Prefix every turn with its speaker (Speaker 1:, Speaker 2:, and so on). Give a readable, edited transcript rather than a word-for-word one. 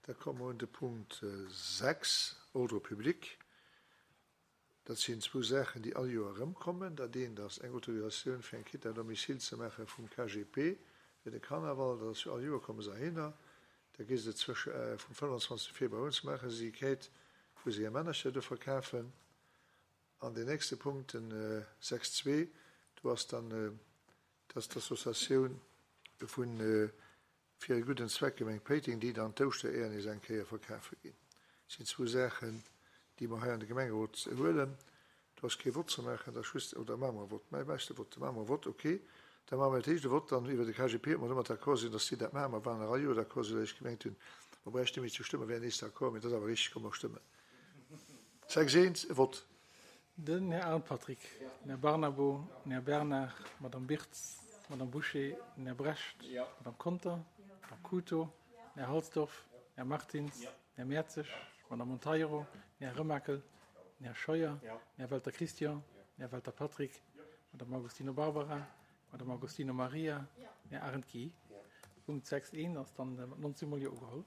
Speaker 1: Da komme mer un de Punkt 6, Ordre public. Dat sinn zwou Saachen, déi all Joer erëmkommen. Dat eent ass eng Autorisatioun fir eng Quitte à domicile ze maache vum KGP fir de Karnaval. Dat ass jo all Joer komme se heihinner. Da gi se zwësche vum 25 Februar un, maache se déi Quête, wou se hir Männercher do verkafen. An deen nächste Punkt, den 6,2, do ass dann, dass d'Associatioun vun Fir e gudden Zweck, Gemeng Péiteng, déi dann d'Ouschtereeër nees eng Kéier verkafe ginn. Dat sinn zwou Saachen, déi mer hei an de Gemengerot huelen. Do ass kee Vott ze maachen, dat ass just, oder maache mer e Vott? Mä méchs de Vott? Da maache mer e Vott, okay. Da maache mer dat éischt e Vott dann iwwer de KGP, ob mer domat d'accord sinn, dass déi dat maachen. Mer waren nach all Joer d'accord, soudatt ech gemengt hunn, mer bräichten net méi ze stëmmen, wären nees d'accord. Mee dat ass awer richteg, komm mer stëmmen. 6, 1, e Vott.
Speaker 2: Den Här Arndt Patrick, den Här Barnabo, den Här Bernard, d'Madame Birtz, d'Madame Bouché, den Här Brecht, d'Madame Conter, d'Madame Cooto, den Här Halsdorf, den Här Martins, den Här Mertzig, d'Madame Monteiro, den Här Remakel, den Här Scheuer, den Här Welter Christian, den Här Welter Patrick, d'Madame Agostino Barbara, d'Madame Agostino Maria, den Här Arendt Guy. Punkt 6 1 ass dann mat 19 mol Jo ugeholl.